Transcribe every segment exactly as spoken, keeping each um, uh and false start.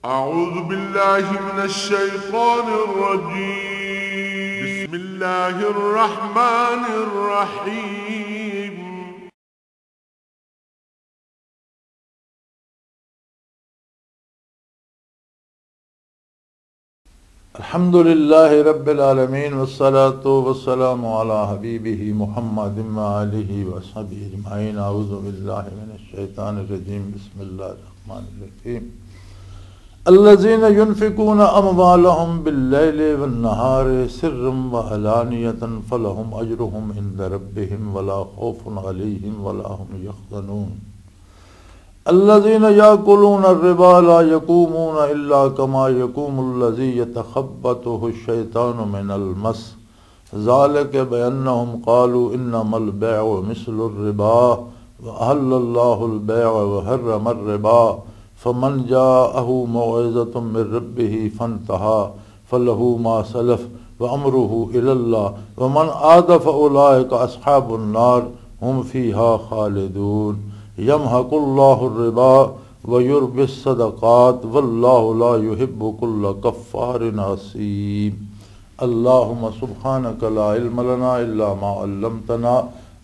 أعوذ بالله من الشيطان الرجيم. بسم الله الرحمن الرحيم. الحمد لله رب العالمين، والصلاة والسلام على حبيبه محمد وآله وصحبه أجمعين. أعوذ بالله من الشيطان الرجيم. بسم الله الرحمن الرحيم. الذين ينفقون أموالهم بالليل والنهار سرا وعلانية فلهم أجرهم عند ربهم ولا خوف عليهم ولا هم يحزنون. الذين يأكلون الربا لا يقومون إلا كما يقوم الذي يتخبطه الشيطان من المس، ذلك بأنهم قالوا إنما البيع مثل الربا وأحل الله البيع وحرم الربا، فمن جاءه موعظة من ربه فانتهى فله ما سلف وأمره إلى الله ومن عاد فأولئك أصحاب النار هم فيها خالدون. يمحق الله الربا ويربي الصدقات والله لا يحب كل كفار أثيم. اللهم سبحانك لا علم لنا إلا ما علمتنا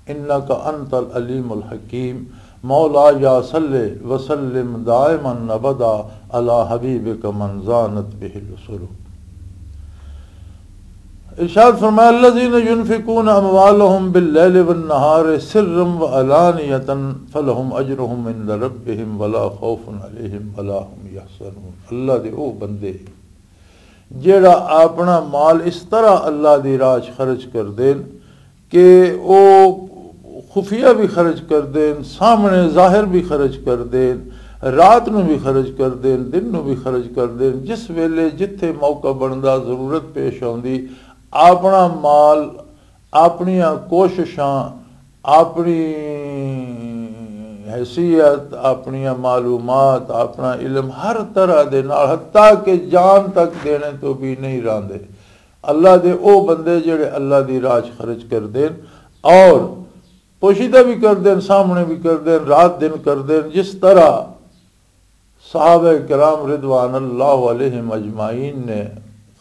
إنك أنت العليم الحكيم. مولاي صل وسلم دائما أبدا على حبيبك من زانت به الأسر. ارشاد فرمایا، الذين ينفقون اموالهم بالليل والنهار سرا وعلانية فلهم اجرهم عند ربهم ولا خوف عليهم ولا هم يحزنون. اللہ دے او بندے جیڑا اپنا مال اس طرح اللہ دی راہ 'چ خرچ کر دین کہ او خفیہ بھی خرچ کر دین، سامنے ظاہر بھی خرچ کر دین، رات نو بھی خرچ کر دین، دن نو بھی خرچ کر دین، جس ویلے جتھے موقع بندا، ضرورت پیش آندی، اپنا مال، اپنیاں کوششاں، اپنی حیثیت، اپنیاں معلومات، اپنا علم، ہر طرح دے نال، حتیٰ کہ جان تک دینے تو بھی نہیں راندے۔ اللہ دے او بندے جڑے اللہ دی راہ 'چ خرچ کر دین اور پوشیدہ بھی کر دین، سامنے بھی کر دین، رات دن کر دین، جس طرح صحابہ کرام رضوان اللہ علیہم اجمعین نے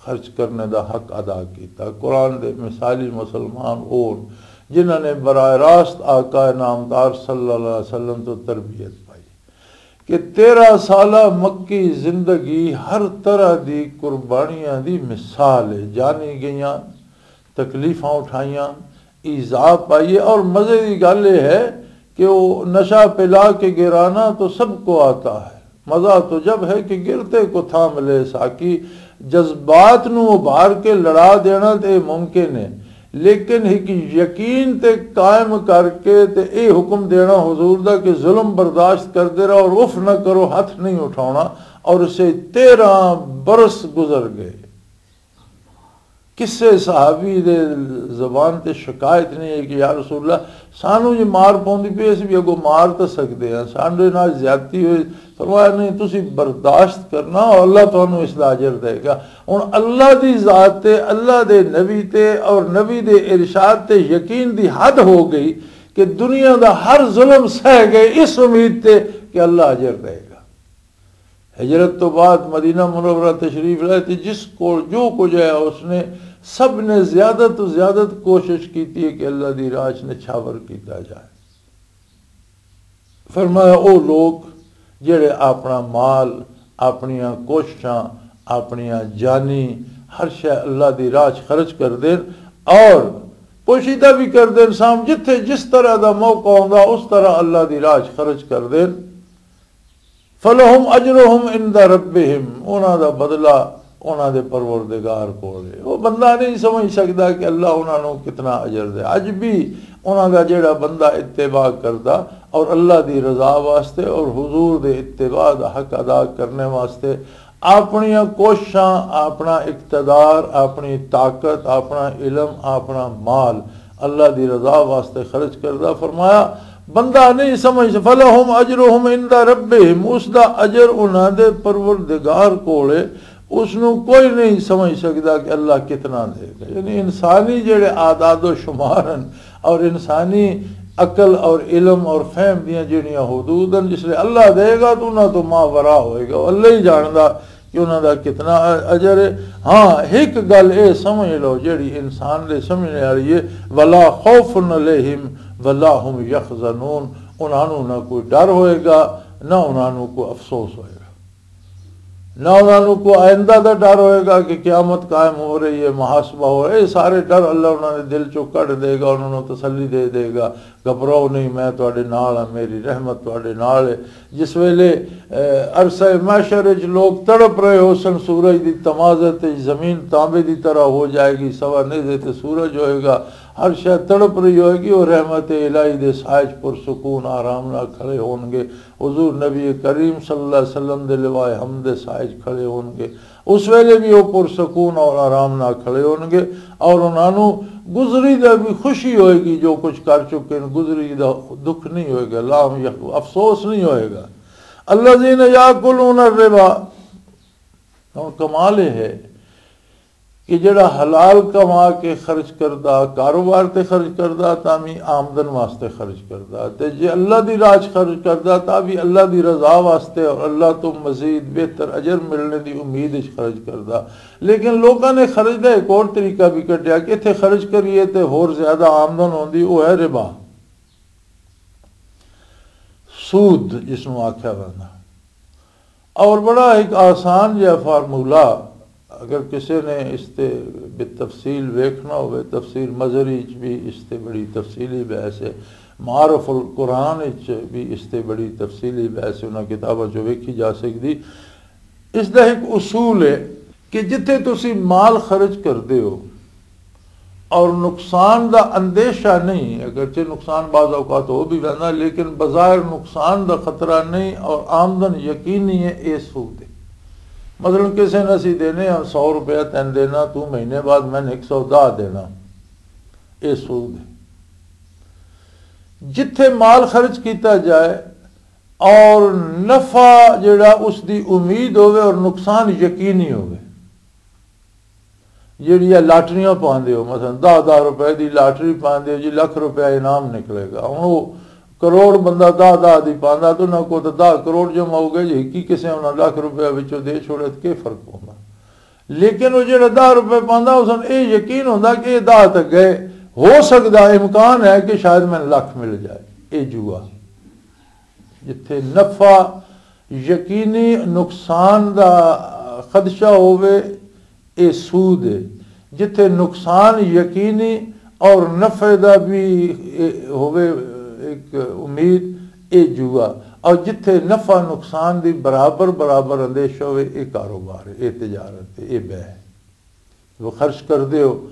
خرچ کرنے دا حق ادا کیتا۔ قرآن دے مثالی مسلمان اور جنہاں نے براہ راست آقا نامدار صلی اللہ علیہ وسلم تو تربیت پائی کہ تیرہ سالہ مکی زندگی ہر طرح دی قربانیاں دی مثال ہے، جانی گئیاں، تکلیفاں اٹھائیاں، ایذا پائیے۔ اور مزے دی گل یہ ہے کہ وہ نشہ پلا کے گرانا تو سب کو آتا ہے، مزہ تو جب ہے کہ گرتے کو تھام لے ساقی۔ جذبات نو ابھار کے لڑا دینا تے ممکن ہے، لیکن ایک یقین تے قائم کر کے تے اے حکم دینا حضور دا کہ ظلم برداشت کردے رہو اور اف نہ کرو، ہاتھ نہیں اٹھاؤنا۔ اور اسے تیرہ برس گزر گئے۔ کسے صحابی دے زبان تے شکایت نہیں ہے کہ یا رسول اللہ، سانو جی مار پوندی پئی، اسی بھی اگوں مار تاں سکدے ہاں، ساڈے نال زیادتی ہوئی۔ فرمایا، نہیں، تسی برداشت کرنا اور اللہ تانوں اس دا اجر دے گا۔ ہن اللہ دی ذات تے، اللہ دے نبی تے اور نبی دے ارشاد تے یقین دی حد ہو گئی کہ دنیا دا ہر ظلم سہ گئے اس امید تے کہ اللہ اجر دے گا۔ ہجرت تو بعد مدینہ منورہ تشریف لائے تے جس کول جو کچھ ہے، اس نے، سب نے زیادہ تو زیادہ کوشش کیتی ہے کہ اللہ دی راہ 'چ نچھاور کیتا جائے۔ فرمایا، او لوگ جڑے اپنا مال، اپنیاں کوششاں، اپنیاں جانی، ہر شے اللہ دی راہ 'چ خرچ کر دین اور پوشیدہ بھی کر دین، سام جتھے جس طرح دا موقع ہوندا، اس طرح اللہ دی راہ 'چ خرچ کر دین۔ فلہم اجرہم عند ربہم، انہاں دا بدلہ انہاں دے پروردگار کول ہے۔ وہ بندہ نہیں سمجھ سکدا کہ اللہ انہاں نوں کتنا اجر دے۔ اج بھی انہاں دا جڑا بندہ اتباع کردا اور اللہ دی رضا واسطے اور حضور دے اتباع دا حق ادا کرنے واسطے اپنیاں کوششاں، اپنا اقتدار، اپنی طاقت، اپنا علم، اپنا مال اللہ دی رضا واسطے خرچ کردا۔ فرمایا، بندہ نہیں سمجھ، فلہم اجرہم عند ربہم، اس دا اجر انہاں دے پروردگار کول ہے، اس نو کوئی نہیں سمجھ سکدا کہ اللہ کتنا دے گا۔ یعنی انسانی جڑے اعداد و شمار ہیں اور انسانی عقل اور علم اور فہم دیاں جڑیاں حدود ہیں، جس لئے اللہ دے گا تو انہاں تو ما ورا ہوئے گا، اللہ ہی جاندا کہ انہاں دا کتنا اجر ہے۔ ہاں، ایک گل اے سمجھ لو جڑی انسان دے سمجھنے والی ہے، ولا خوف علیہم ولا هم يحزنون، انہاں نوں نہ کوئی ڈر ہوئے گا، نہ انہاں نوں کوئی افسوس ہوئے گا۔ نہ انہاں نوں کوئی آئندہ دا ڈر ہوئے گا کہ قیامت قائم ہو رہی ہے، محاسبہ ہو رہا ہے۔ یہ سارے ڈر اللہ انہاں دے دل چوں کڈ دے گا، انہاں نوں تسلی دے دے گا، "گھبراؤ نہیں، میں تہاڈے نال ہاں، میری رحمت تہاڈے نال ہے۔" جس ویلے، اے، عرصہ محشر وچ لوگ تڑپ رہے ہو سن، سورج دی تمازت وچ زمین تانبے دی طرح ہو جائے گی، سوا نیزے تے سورج ہوئے گا، ہر شے تڑپ رہی ہوئے گی، اور رحمت الہی دے سائے وچ پرسکون آرام نال کھڑے ہون گے۔ حضور نبی کریم صلی اللہ علیہ وسلم دے لوائے حمد دے سائے وچ کھڑے ہون گے۔ اس ویلے بھی وہ پرسکون اور آرام نال کھڑے ہون گے، اور انہاں نوں گزری دا بھی خوشی ہوئے گی، جو کچھ کر چکے ہیں، گزری دا دکھ نہیں ہوئے گا، لا هم يحزنون، افسوس نہیں ہوئے گا۔ الذين يأكلون الربا، اور کمال یہ ہے کہ جڑا حلال کما کے خرچ کردا، کاروبار تے خرچ کردا، تاں بھی آمدن واسطے خرچ کردا، تے جے اللہ دی راہ 'چ خرچ کردا، تاں بھی اللہ دی رضا واسطے اور اللہ تو مزید بہتر اجر ملنے دی امید وچ خرچ کردا۔ لیکن لوکاں نے خرچ دا ایک اور طریقہ بھی کڈیا کہ اتھے خرچ کریے تے ہور زیادہ آمدن ہوندی، او ہے ربا، سود جس نوں آکھیا ویندا۔ اور بڑا ایک آسان جہا فارمولا، اگر کسی نے اس تے بتفصیل ویکھنا ہوئے، تفسیر مظہری وچ بھی اس تے بڑی تفصیلی بحث ہے، معارف القرآن وچ بھی اس تے بڑی تفصیلی بحث ہے، انہاں کتاباں چوں ویکھی جا سکدی۔ اس دا ایک اصول ہے کہ جتھے تسی مال خرچ کردے ہو، اور نقصان دا اندیشہ نہیں، اگرچہ نقصان بعض اوقات ہو بھی ویندا، لیکن بظاہر نقصان دا خطرہ نہیں اور آمدن یقینی ہے، اے سود ہے۔ مثلاً کسے نے اسی دینے ہاں سو روپیہ، تین دینا، تو مہینے بعد میں نے ایک سو دہ دینا، اے سود ہے۔ جتھے مال خرچ کیتا جائے اور نفع جڑا اس دی امید ہوئے اور نقصان یقینی ہوئے، جیڑیاں لاٹریاں پاندے ہو، مثلاً دہ دہ روپے دی لاٹری پاندے ہو جی، لکھ روپے انعام نکلے گا۔ ہن او کروڑ بندہ دہ دہ دی پاندا، تے انہاں کول تے دہ کروڑ جمع ہو گئے جی، ہکی کسے انہاں لکھ روپے وچوں دے چھوڑے تے کی فرق پوندا؟ لیکن او جیڑا دہ روپے پاندا، اس نوں اے یقین ہوندا کہ اے دہ تے گئے، ہو سکدا، امکان ہے کہ شاید مینوں لکھ مل جائے۔ اے جوا۔ جتھے نفع یقینی، نقصان دا خدشہ ہووے، اے سود ہے۔ جتھے نقصان یقینی اور نفع دا بھی، اے، ہووے ایک امید، اے جوا۔ اور جتھے نفع نقصان دی برابر برابر اندیش ہووے، اے کاروبار ہے، اے تجارت ہے، اے بے ہے۔ وہ خرچ کر دیو،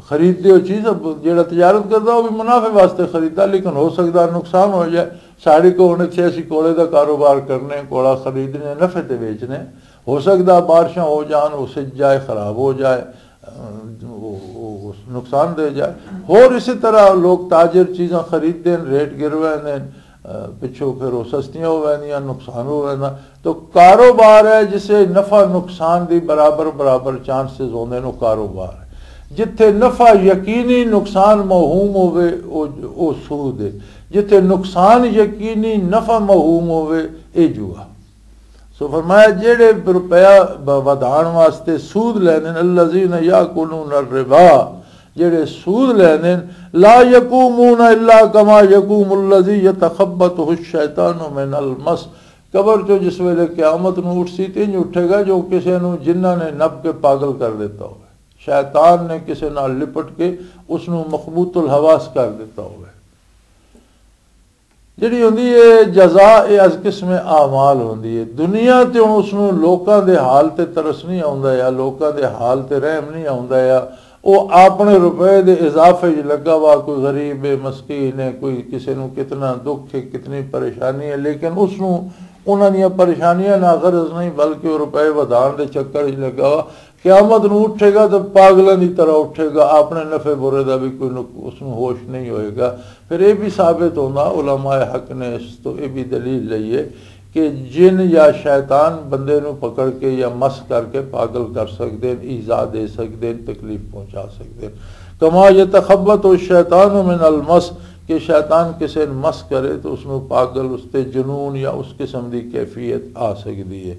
خرید دیو چیز، اب جیڑا تجارت کردا، وہ بھی منافع واسطے خریدا، لیکن ہو سکدا نقصان ہو جائے۔ ساڑی کو ہن اتھے اسی کوڑے دا کاروبار کرنے، کوڑا خریدنے، نفع تے بیچنے، ہو سکدا بارشاں ہو جان، وہ سج جائے، خراب ہو جائے، اہ، وہ، وہ نقصان دے جائے۔ اور اسی طرح لوگ تاجر چیزاں خرید دین، ریٹ گروے دین، اہ، پچھوں پھر وہ سستیاں ہو ویندیاں، نقصان ہو ویندا۔ تو کاروبار ہے جسے نفع نقصان دی برابر برابر چانسز ہوندے نو کاروبار ہے۔ جتھے نفع یقینی نقصان موہوم ہووے، او، او سود ہے۔ جتھے نقصان یقینی نفع موہوم ہووے، اے جوا۔ سو فرمایا، جیڑے روپیہ ب-، ودھان واسطے سود لیندے نے، الذین یاکلون الربا، جیڑے سود لیندے نے، لا یقومون الا کما یقوم الذی یتخبطہ الشیطان من المس۔ قبر چوں جس ویلے قیامت نوں اٹھ سی، تے انج اٹھے گا جو کسے نوں جنہاں نے نپ کے پاگل کر دیتا ہوئے، شیطان نے کسے نال لپٹ کے اس نوں مخبوط الحواس کر دیتا ہوئے۔ جڑی ہوندی ہے جزا، اے از قسم اعمال ہوندی ہے۔ دنیا تے ہن اس نوں لوکاں دے حال تے ترس نہیں آوندا، یا لوکاں دے حال تے رحم نہیں آوندا، یا او اپنے روپے دے اضافے وچ لگا وا، کوئی غریب ہے، مسکین ہے، کوئی کسے نوں کتنا دکھ ہے، کتنی پریشانی ہے، لیکن اس نوں انہاں دیاں پریشانیاں نہ غرض نہیں، بلکہ او روپے ودھان دے چکر وچ لگا وا۔ قیامت نوں اٹھے گا تے پاگلاں دی طرح اٹھے گا، اپنے نفع برے دا بھی کوئی نق-، اس نوں ہوش نہیں ہوئے گا۔ پھر یہ بھی ثابت ہونا، علماء حق نے اس تو یہ بھی دلیل لئی ہے کہ جن یا شیطان بندے نوں پکڑ کے یا مس کر کے پاگل کر سکدے ہیں، ایذا دے سکدے ہیں، تکلیف پہنچا سکدے ہیں۔ کما یتخبط الشیطان من المس، کہ شیطان کسے نوں مس کرے تو اس نوں پاگل، اس تے جنون یا اس قسم دی کیفیت آ سکدی ہے۔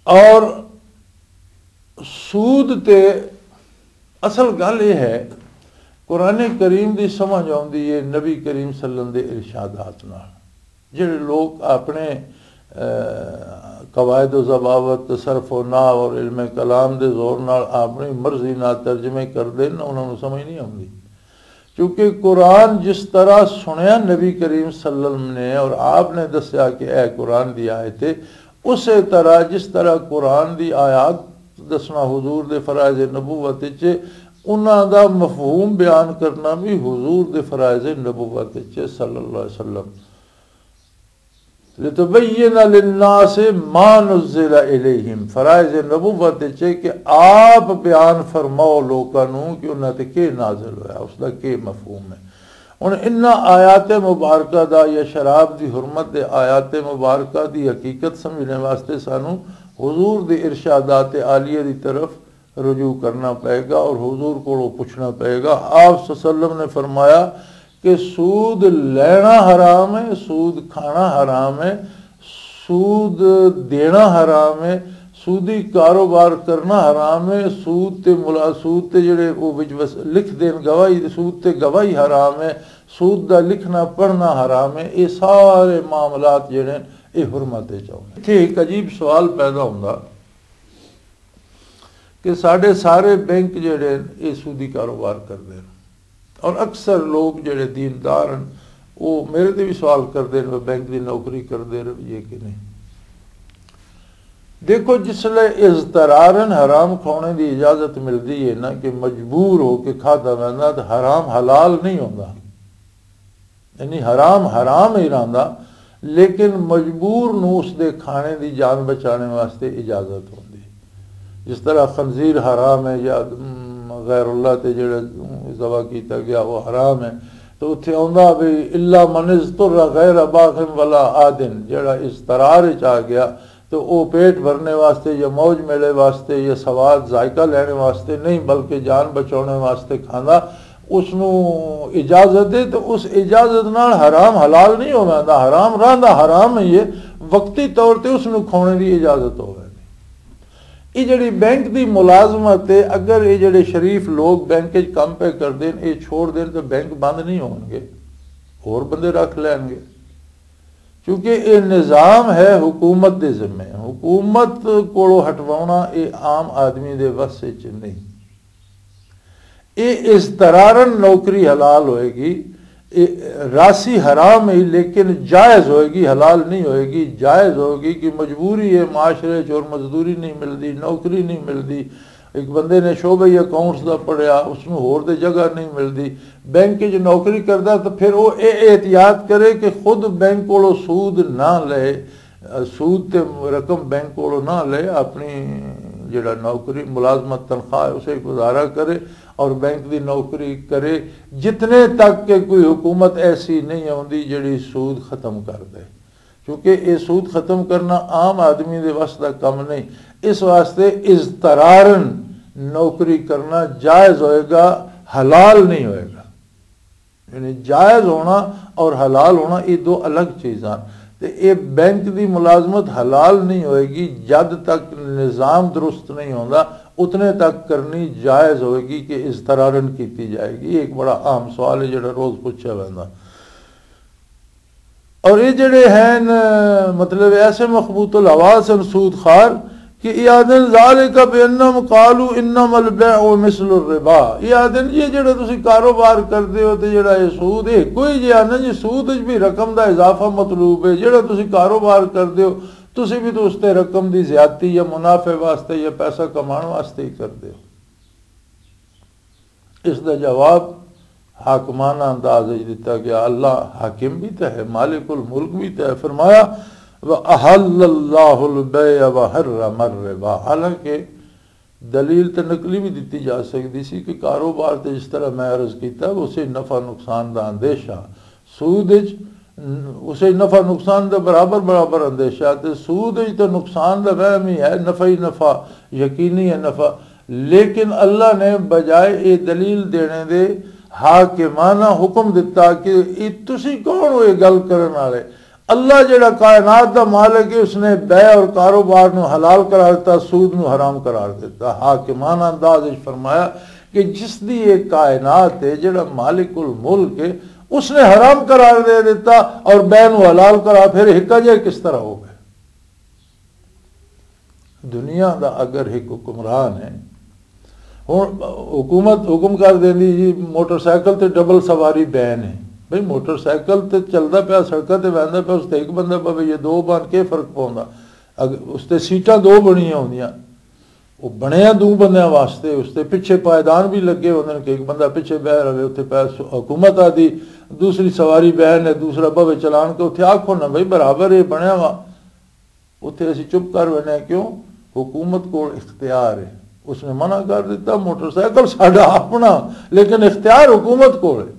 اور سود تے اصل گل یہ ہے، قرآن کریم دی سمجھ آؤندی ہے نبی کریم صلی اللہ علیہ وسلم دے ارشادات نال۔ جڑے لوگ اپنے، آ، قواعد و ضوابط، صرف و نحو اور علم کلام دے زور نال اپنی مرضی نال ترجمے کردے نے، انہاں نوں سمجھ نہیں آؤندی۔ کیونکہ قرآن جس طرح سنیا نبی کریم صلی اللہ علیہ وسلم نے اور آپ نے دسیا کہ اے قرآن دی آیت ہے، اسی طرح جس طرح قرآن دی آیات دسنا حضور دے فرائض نبوت وچ، انہاں دا مفہوم بیان کرنا بھی حضور دے فرائض نبوت وچ صلی اللہ علیہ وسلم۔ لِتُبَيِّنَ لِلنَّاسِ مَا نُزِّلَ إِلَيْهِمْ، فرائض نبوت وچ ہے کہ آپ بیان فرماؤ لوکاں نوں کہ انہاں تے کی نازل ہویا، اس دا کی مفہوم ہے۔ ہن انہاں آیات مبارکہ دا یا شراب دی حرمت دے آیات مبارکہ دی حقیقت سمجھنے واسطے سانوں حضور دے ارشادات عالیہ دی طرف رجوع کرنا پائے گا اور حضور کو پوچھنا پائے گا۔ آپ صلی اللہ علیہ وسلم نے فرمایا کہ سود لینا حرام ہے، سود کھانا حرام ہے، سود دینا حرام ہے، سودی کاروبار کرنا حرام ہے، سود تے ملا-، سود تے جڑے وہ وچ وس-، لکھ دین گواہی، سود تے گواہی حرام ہے، سود دا لکھنا پڑھنا حرام ہے۔ یہ سارے معاملات جڑے ہیں، یہ حرمت وچ آؤندے۔ اتھے ایک عجیب سوال پیدا ہوندا کہ ساڈے سارے بینک جڑے ہیں، یہ سودی کاروبار کردے ہیں۔ اور اکثر لوگ جڑے دیندار ہیں، وہ میرے تے بھی سوال کردے ہیں، "بینک دی نوکری کردے رہیے کہ نہیں؟" دیکھو، جس لے اضطرارن حرام کھانے دی اجازت ملدی ہے نا، کہ مجبور ہو کے کھادا ویندا، تو حرام حلال نہیں ہوندا۔ یعنی حرام حرام ہی رہندا، لیکن مجبور نو اس دے کھانے دی جان بچانے واسطے اجازت ہوندی۔ جس طرح خنزیر حرام ہے یا، م، غیر اللہ تے جڑا ذبح کیتا گیا وہ حرام ہے، تو اتھے آندا بھی "الا من اضطر غیر باغ ولا عاد"، جڑا اضطرار وچ آ گیا تو او پیٹ بھرنے واسطے یا موج میلے واسطے یا سواد ذائقہ لینے واسطے نہیں، بلکہ جان بچانے واسطے کھاندا، اس نو اجازت ہے۔ تو اس اجازت نال حرام حلال نہیں ہو ویندا، حرام رہندا حرام ہی ہے، وقتی طور تے اس نو کھانے دی اجازت ہو ویندی۔ یہ جڑی بینک دی ملازمت ہے، اگر یہ جڑے شریف لوگ بینک وچ کم پہ کر دین، یہ چھوڑ دین تو بینک بند نہیں ہون گے، اور بندے رکھ لین گے۔ کیونکہ یہ نظام ہے حکومت دے ذمے، حکومت کولو ہٹوانا یہ عام آدمی دے وس وچ نہیں۔ یہ اضطرارن نوکری حلال ہوئے گی، یہ راسی حرام ہے لیکن جائز ہوئے گی، حلال نہیں ہوئے گی، جائز ہوئے گی کہ مجبوری ہے، معاشرے چور مزدوری نہیں ملدی، نوکری نہیں ملدی، ایک بندے نے شعبہ اکاؤنٹس دا پڑھیا، اس نوں ہور دے جگہ نہیں ملدی، بینک وچ نوکری کردا، تو پھر وہ اے احتیاط کرے کہ خود بینک کولوں سود نہ لے، سود تے رقم بینک کولوں نہ لے، اپنی جڑا نوکری ملازمت تنخواہ ہے اسے گزارا کرے اور بینک دی نوکری کرے، جتنے تک کہ کوئی حکومت ایسی نہیں آندی جڑی سود ختم کر دے۔ کیونکہ یہ سود ختم کرنا عام آدمی دے وس دا کم نہیں۔ اس واسطے اضطرارن نوکری کرنا جائز ہوئے گا، حلال نہیں ہوئے گا۔ یعنی جائز ہونا اور حلال ہونا یہ دو الگ چیزاں۔ تے یہ بینک دی ملازمت حلال نہیں ہوئے گی جد تک نظام درست نہیں ہوندا، اتنے تک کرنی جائز ہوئے گی کہ اضطرارن کیتی جائے گی۔ یہ ایک بڑا اہم سوال ہے جڑا روز پوچھا ویندا۔ اور یہ جڑے ہیں، مطلب، ایسے مخبوط الحواس ہیں سود خار کہ یہ آدھن ذالک بانہم قالوا انما البیع مثل الربا۔ یہ آدھن یہ جڑا تسی کاروبار کردے ہو تے جڑا یہ سود ہے، کوئی جے آدھن جی سود وچ بھی رقم دا اضافہ مطلوب ہے، جڑا تسی کاروبار کردے ہو، تسی بھی تو اس تے رقم دی زیادتی یا منافع واسطے یا پیسہ کمانے واسطے ہی کردے ہو۔ اس دا جواب حاکمانہ انداز وچ دتا گیا۔ اللہ حاکم بھی تے ہے، مالک الملک بھی تے ہے۔ فرمایا، "وَأَحَلَّ اللَّهُ الْبَيْعَ وَحَرَّمَ الرِّبَا۔" حالانکہ دلیل تے نقلی بھی دتی جا سکتی سی کہ کاروبار تے جس طرح میں عرض کیتا، اسے نفع نقصان دا اندیشہ، سود وچ، اسے نفع نقصان دا برابر برابر اندیشہ، تے سود وچ تے نقصان دا وہم ہی ہے، نفع ہی نفع، یقینی ہے نفع۔ لیکن اللہ نے بجائے یہ دلیل دینے دے حاکمانہ حکم دتا کہ یہ تسی کون ہو یہ گل کرن والے؟ اللہ جڑا کائنات دا مالک ہے، اس نے بے اور کاروبار نو حلال قرار دتا، سود نو حرام قرار دتا۔ حاکمانہ انداز وچ فرمایا کہ جس دی یہ کائنات ہے، جڑا مالک الملک ہے، اس نے حرام قرار دے دیتا اور بے نو حلال قرار، پھر ہکا جے کس طرح ہو گئے؟ دنیا دا اگر ایک حکمران ہے، ہن حکومت حکم کر دیندی جی، موٹر سائیکل تے ڈبل سواری بین ہے۔ بھئی، موٹر سائیکل تے چلدا پیا، سڑکاں تے ویندا پیا، اس تے ایک بندہ پوے یا دو بن کے فرق پوندا؟ اگ-، اس تے سیٹاں دو بنیاں ہوندیاں، وہ بنیا دو بندیاں واسطے، اس تے پیچھے پائیدان بھی لگے ہوندے نے کہ ایک بندہ پیچھے بہ رہے، اتھے پیا س-، حکومت آدی دوسری سواری بین ہے، دوسرا بھوے چلان کے اتھے آکھو نا، بھئی، برابر ہے، بنیا وا۔ اتھے اسی چپ کر وینے، کیوں؟ حکومت کول اختیار ہے، اس نے منع کر دیتا، موٹر سائیکل ساڈا اپنا، لیکن اختیار حکومت کول ہے۔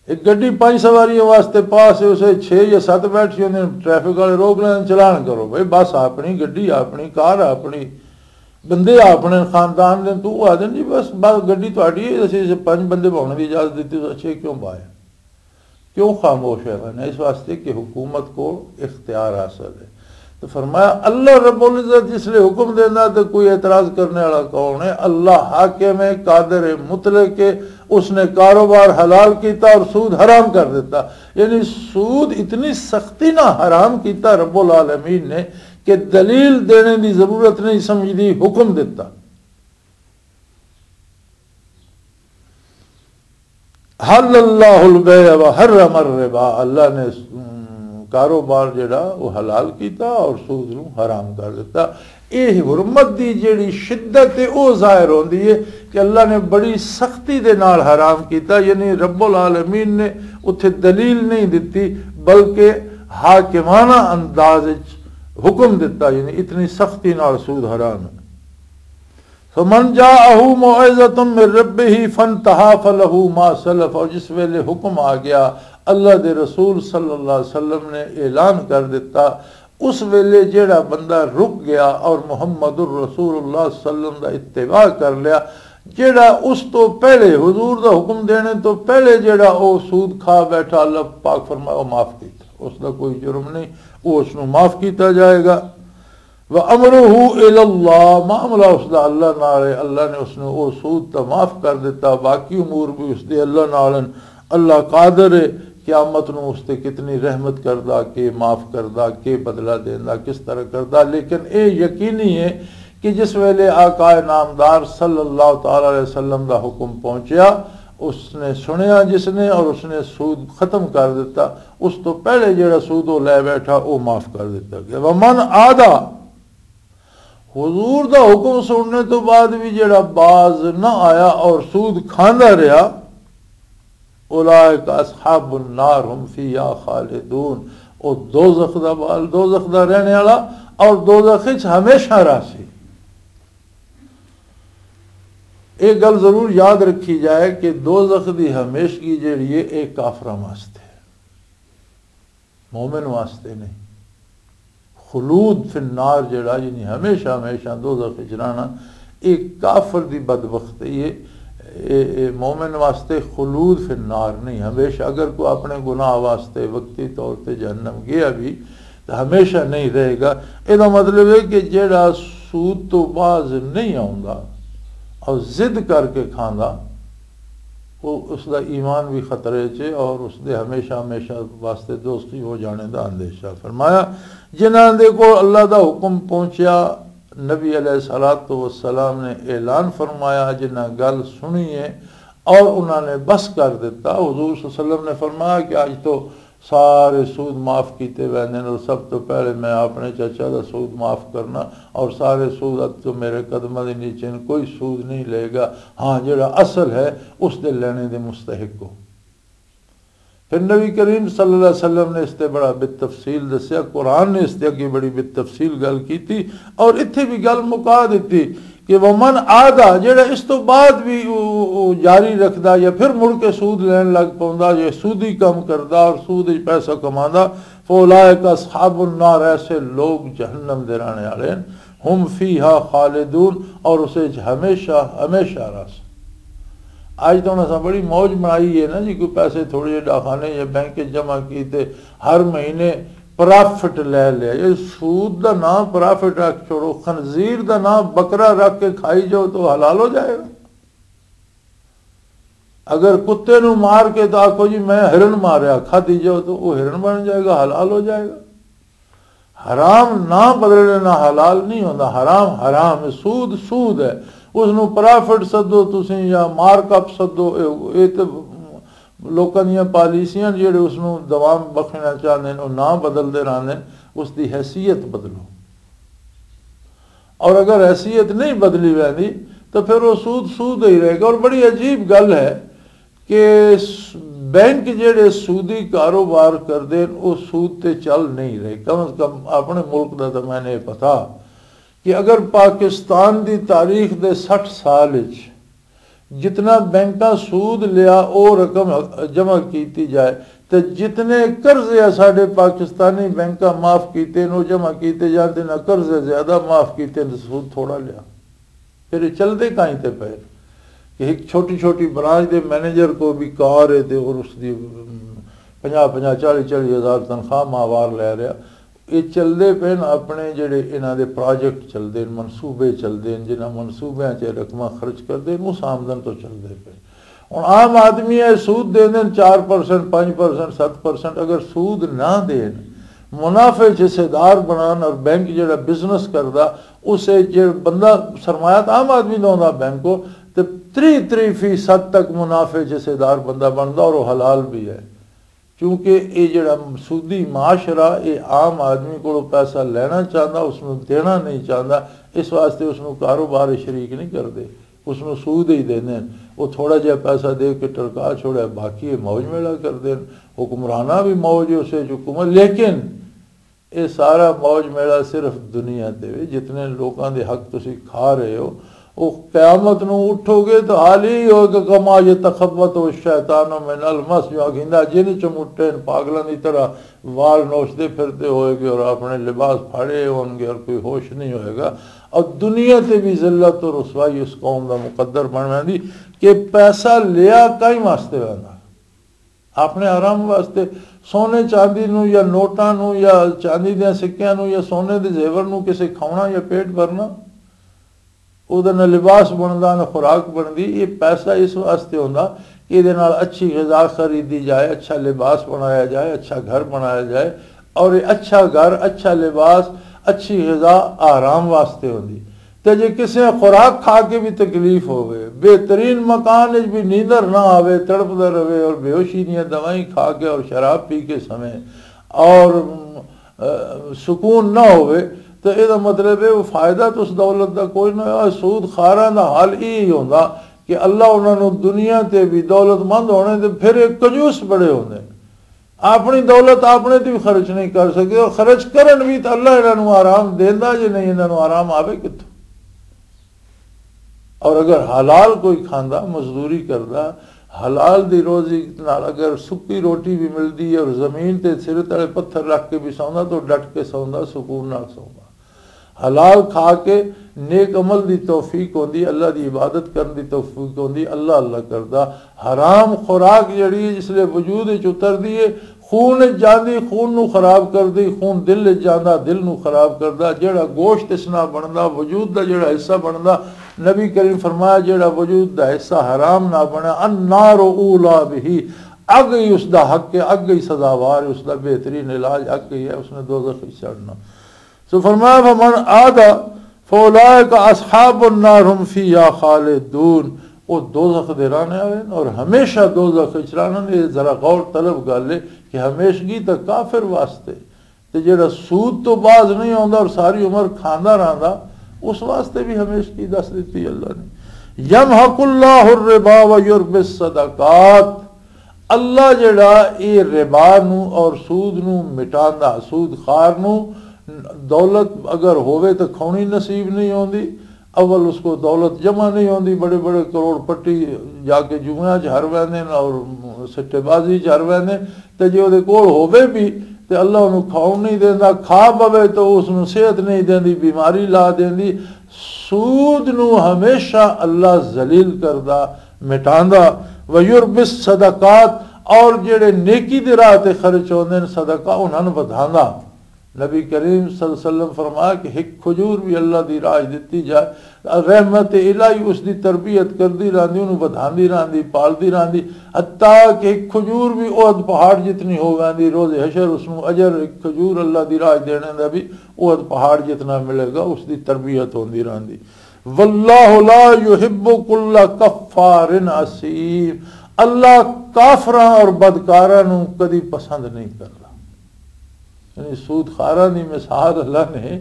ایک گڈی پانچ سواریوں واسطے پاس ہے، اسے چھ یا ست بیٹھ کے انہیں ٹریفک والے روک لین، چلان کرو بھائی، بس اپنی گڈی، اپنی کار، اپنی بندے، اپنے خاندان دے۔ تو وہ آدھے جی، بس، بس گڈی تہاڈی ہے، اسی اسے پنج بندے بہن کی اجازت دیتی، تو اچھے کیوں پائے؟ کیوں خاموش ہے؟ میں اس واسطے کہ حکومت کو اختیار حاصل ہے۔ تو فرمایا، اللہ رب العزت جس لئے حکم دینا تو کوئی اعتراض کرنے والا کون ہے؟ اللہ حاکم ہے، قادر ہے، مطلق ہے۔ اس نے کاروبار حلال کیتا اور سود حرام کر دیتا۔ یعنی سود اتنی سختی نہ حرام کیتا رب العالمین نے کہ دلیل دینے دی ضرورت نہیں سمجھدی، حکم دیتا۔ حل اللہ البیع و حرم الربا، اللہ نے، ام، کاروبار جڑا وہ حلال کیتا اور سود نو حرام کر دیتا۔ یہ حرمت دی جڑی شدت ہے، وہ ظاہر ہوندی ہے کہ اللہ نے بڑی سختی دے نال حرام کیتا، یعنی رب العالمین نے اتھے دلیل نہیں دتی، بلکہ حاکمانہ انداز وچ حکم دتا، یعنی اتنی سختی نال سود حرام ہے۔ فمن جاءه موعظة من ربه فانتهى فله ما سلف، اور جس ویلے حکم آ گیا، اللہ دے رسول صلی اللہ علیہ وسلم نے اعلان کر دیتا، اس ویلے جیڑا بندہ رک گیا اور محمد الرسول اللہ صلی اللہ علیہ وسلم دا اتباع کر لیا، جیڑا اس تو پہلے، حضور دا حکم دینے تو پہلے جیڑا او سود کھا بیٹھا، اللہ پاک فرمایا، او معاف کیتا، اس دا کوئی جرم نہیں، او اس نو معاف کیتا جائے گا۔ وَأَمْرُهُ إِلَى اللَّهِ، معاملہ اس دا اللہ نال ہے، اللہ نے اس نو او سود تا معاف کر دیتا، باقی امور بھی اس دے اللہ نال ہن۔ اللہ قادر ہے قیامت نو اس تے کتنی رحمت کردا، کے معاف کردا، کے بدلہ دیندا، کس طرح کردا، لیکن اے یقینی ہے کہ جس ویلے آقا نامدار صلی اللہ تعالی علیہ وسلم دا حکم پہنچیا، اس نے سنیا جس نے اور اس نے سود ختم کر دیتا، اس تو پہلے جڑا سود وہ لے بیٹھا، وہ معاف کر دیتا گیا۔ ومن عادا، حضور دا حکم سننے تو بعد بھی جڑا باز نہ آیا اور سود کھاندا رہیا، اولئک اصحاب النار هم فیها خالدون، او دوزخ دا بال، دوزخ دا رہنے والا اور دوزخ وچ ہمیشہ رہسی۔ ایک گل ضرور یاد رکھی جائے کہ دوزخ دی ہمیشگی جڑی ہے، ایک کافراں واسطے، مومن واسطے نہیں۔ خلود فی النار جڑا، یعنی ہمیشہ ہمیشہ دوزخ وچ رہنا، ایک کافر دی بدبختی ہے۔ اے، اے مومن واسطے خلود فی النار نہیں، ہمیشہ۔ اگر کوئی اپنے گناہ واسطے وقتی طور تے جہنم گیا بھی، تو ہمیشہ نہیں رہے گا۔ اے دا مطلب ہے کہ جڑا سود تو باز نہیں آوندا اور ضد کر کے کھاندا، وہ، اس دا ایمان بھی خطرے چ اور اس دے ہمیشہ ہمیشہ واسطے دوزخی ہو جانے دا اندیشہ۔ فرمایا، جنہاں دے کول اللہ دا حکم پہنچیا، نبی علیہ الصلوۃ والسلام نے اعلان فرمایا، جنہاں گل سنی ہے اور انہاں نے بس کر دیتا۔ حضور صلی اللہ علیہ وسلم نے فرمایا کہ اج تو سارے سود معاف کیتے ویندے نے، اور سب تو پہلے میں اپنے چچا دا سود معاف کرنا، اور سارے سود اب تو میرے قدماں دے نیچے نے، کوئی سود نہیں لے گا۔ ہاں، جڑا اصل ہے، اس دے لینے دے مستحق ہو۔ پھر نبی کریم صلی اللہ علیہ وسلم نے اس تے بڑا بالتفصیل دسیا، قرآن نے اس تے اگے بڑی بالتفصیل گل کیتی، اور اتھے بھی گل مکا دتی کہ ومن عادا، جڑا اس تو بعد بھی او، او جاری رکھدا یا پھر مڑ کے سود لین لگ پوندا یا سودی کم کردا اور سود وچ پیسہ کماندا، فاولئک اصحاب النار، ایسے لوگ جہنم دے رہنے والے ہیں، ہم فیہا خالدون، اور اسے وچ ہمیشہ ہمیشہ رہس۔ اج تو اساں بڑی موج بنائی ہے نا جی، کوئی پیسے تھوڑے جہے ڈاکخانے یا بینک وچ جمع کیتے، ہر مہینے پرافٹ لے لیا۔ یہ سود دا نام پرافٹ رکھ چھوڑو، خنزیر دا نام بکرا رکھ کے کھائی جاؤ تو حلال ہو جائے گا۔ اگر کتے نو مار کے تو آکھو جی میں ہرن ماریا، کھا دی جاؤ تو وہ ہرن بن جائے گا، حلال ہو جائے گا۔ حرام نہ بدلنے نہ حلال نہیں ہوندا۔ حرام حرام ہے، سود سود ہے۔ اس نو پرافٹ سدو تسی یا مارک اپ سدو، اے، اے تے لوکاں دیاں پالیسیاں جڑے اس نو دوام بخشنا چاہندے نے، او نہ بدلدے رہندے نے، اس دی حیثیت بدلو۔ اور اگر حیثیت نہیں بدلی ویندی تو پھر وہ سود سود ہی رہے گا۔ اور بڑی عجیب گل ہے کہ س-، بینک جڑے سودی کاروبار کردے نے، وہ سود تے چل نہیں رہے۔ کم از کم اپنے ملک دا تو میں نے پتا کہ اگر پاکستان دی تاریخ دے سٹھ سال وچ جتنا بینکاں سود لیا، او رقم جمع کیتی جائے، تے جتنے قرضے آ ساڈے پاکستانی بینکاں معاف کیتے نے، او جمع کیتے جان، تے انہاں قرضے زیادہ معاف کیتے نے، سود تھوڑا لیا۔ پھر یہ چلدے کائیں تے پے کہ ایک چھوٹی چھوٹی برانچ دے مینیجر کو بھی کار ہے تے اور اس دی پنجاہ پنجاہ، چالی چالی ہزار تنخواہ ماہوار لے رہا۔ یہ چلدے پے نے اپنے جڑے انہاں دے پروجیکٹ چلدے نے، منصوبے چلدے نے، جنہاں منصوبیاں 'چ رقماں خرچ کردے نے، اس آمدن تو چلدے پے۔ ہن عام آدمی ہے سود دے دین چار پرسنٹ، پنج پرسنٹ، ست پرسنٹ، اگر سود نہ دین، منافع 'چ حصے دار بنان، اور بینک جڑا بزنس کردا، اسے جے بندہ سرمایہ تو عام آدمی دا ہوندا بینک کو، تے تری تری فیصد تک منافع 'چ حصے دار بندہ بندا اور وہ حلال بھی ہے۔ کیونکہ یہ جڑا سودی معاشرہ، یہ عام آدمی کو پیسہ لینا چاہتا، اس نو دینا نہیں چاہتا، اس واسطے اس نو کاروبار شریک نہیں کرتے، اس نو سود ہی دینے ہیں۔ وہ تھوڑا جہا پیسہ دے کے ٹرکا چھوڑا، باقی یہ موج میلہ کرتے ہیں۔ حکمرانہ بھی موج ہے اسے حکومت، لیکن یہ سارا موج میلہ صرف دنیا تے وے، جتنے لوکاں دے حق تسی کھا رہے ہو، وہ قیامت نو اٹھو گے تو حال ہی ہوگا، کما یتخبط الشیطان من المس، جو آکھیندا جن چمٹے نے پاگلاں دی طرح وال نوچدے پھردے ہوئے گے اور اپنے لباس پھاڑے ہون گے اور کوئی ہوش نہیں ہوئے گا۔ اور دنیا تے بھی ذلت اور رسوائی اس قوم دا مقدر بن ویندی کہ پیسہ لیا کئی واسطے ویندا؟ اپنے آرام واسطے سونے چاندی نو یا نوٹاں نو یا چاندی دیاں سکیاں نو یا سونے دے زیور نو کسے کھاونا یا پیٹ بھرنا، او دا نہ لباس بندا نہ خوراک بندی۔ یہ پیسہ اس واسطے ہوندا کہ یہ نال اچھی غذا خریدی جائے، اچھا لباس بنایا جائے، اچھا گھر بنایا جائے۔ اور یہ اچھا گھر، اچھا لباس، اچھی غذا آرام واسطے ہوندی۔ تے جے کسے خوراک کھا کے بھی تکلیف ہوئے، بہترین مکان وچ بھی نیندر نہ آوے، تڑپدا رہے اور بے ہوشی دیاں دوائیں کھا کے اور شراب پی کے سمے اور، ام، اے، سکون نہ ہوئے، تو یہ مطلب ہے وہ فائدہ تو اس دولت دا کوئی نہ ہوا۔ سود خاراں دا حال یہی ہوندا کہ اللہ انہاں نوں دنیا تے بھی دولت مند ہونے تے پھر ایک کنجوس بڑے ہوندے۔ اپنی دولت اپنے تے بھی خرچ نہیں کر سکے، اور خرچ کرن بھی تو اللہ انہاں نوں آرام دیندا جے نہیں، انہاں نوں آرام آوے کتھوں؟ اور اگر حلال کوئی کھاندا، مزدوری کردا، حلال دی روزی نال اگر سکی روٹی بھی ملدی ہے اور زمین تے سر تلے پتھر رکھ کے بھی سوندا تو ڈٹ کے سوندا، سکون نال سوندا۔ حلال کھا کے نیک عمل دی توفیق ہوندی، اللہ دی عبادت کرن دی توفیق ہوندی، اللہ اللہ کردا۔ حرام خوراک جڑی ہے، جس لے وجود وچ اتردی ہے، خون وچ جاندی، خون نو خراب کردی، خون دل وچ جاندا، دل نو خراب کردا۔ جڑا گوشت اس نال بندا، وجود دا جڑا حصہ بندا، نبی کریم فرمایا، جڑا وجود دا حصہ حرام نہ بنیا، النار اولا بہ، اگ ہی اس دا حق ہے، اگ ہی سزاوار ہے، اس دا بہترین علاج اگ ہی ہے، اس نے دوزخ وچ چڑھنا۔ سو فرمایا، فمن عاد فاولئک اصحاب النار هم فیها خالدون، وہ دوزخ دے رہنے والے ہیں اور ہمیشہ دوزخ وچ رہنا۔ یہ ذرا غور طلب گل ہے کہ ہمیشگی تک کافر واسطے، تے جڑا سود تو باز نہیں آوندا اور ساری عمر کھاندا رہندا، اس واسطے بھی ہمیشگی دس دتی اللہ نے۔ یمحق اللہ الربا و یربی الصدقات، اللہ جڑا اے ربا نو اور سود نو مٹاندا، سود خار نو، دولت اگر ہووے تو کھونی نصیب نہیں ہوندی۔ اول اس کو دولت جمع نہیں ہوندی، بڑے بڑے کروڑ پٹی جا کے جوئیاں چ ہر ویندے نے اور سٹے بازی چ ہر ویندے نے۔ تے جے اودے کول ہووے بھی تے اللہ انہوں کھاؤن نہیں دیندا، کھا پوے تو اس نو صحت نہیں دیندی، بیماری لا دیندی۔ سود نو ہمیشہ اللہ ذلیل کردا، مٹاندا، ویربس صدقات، اور جڑے نیکی دے راہ تے خرچ ہوندے نے، صدقہ انہاں نوں ودھاندا۔ نبی کریم صلی اللہ علیہ وسلم فرمایا کہ ایک کھجور بھی اللہ دی راہ دتی جائے، رحمت الہی اس دی تربیت کردی رہندی، انہوں ودھاندی رہندی، پالدی رہندی، حتیٰ کہ ایک کھجور بھی احد پہاڑ جتنی ہو ویندی، روز حشر اس نوں اجر ایک کھجور اللہ دی راہ دینے دا بھی احد پہاڑ جتنا ملے گا، اس دی تربیت ہوندی رہندی۔ واللہ لا یحب کل کفار اثیم، اللہ کافراں اور بدکاراں نوں کدی پسند نہیں کردا۔ یعنی سود خاراں دی مثال اللہ نے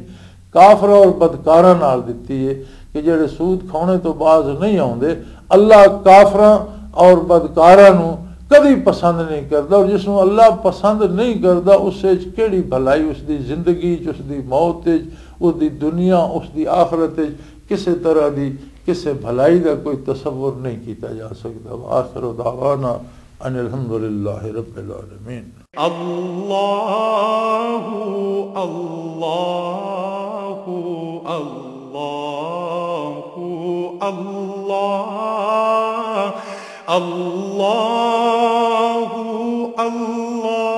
کافراں اور بدکاراں نال دتی ہے کہ جڑے سود کھانے تو باز نہیں آوندے۔ اللہ کافراں اور بدکاراں نوں کدی پسند نہیں کردا، اور جس نوں اللہ پسند نہیں کردا، اس وچ کیڑی بھلائی؟ اس دی زندگی وچ، اس دی موت وچ، اس دی دنیا، اس دی آخرت وچ کسے طرح دی، کسے بھلائی دا کوئی تصور نہیں کیتا جا سکدا۔ وآخر دعوانا ان الحمدللہ رب العالمین۔ اللہ، اللہ، اللہ، اللہ، اللہ، اللہ،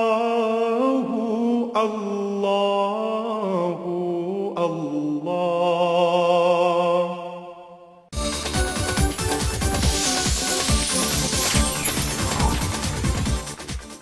اللہ۔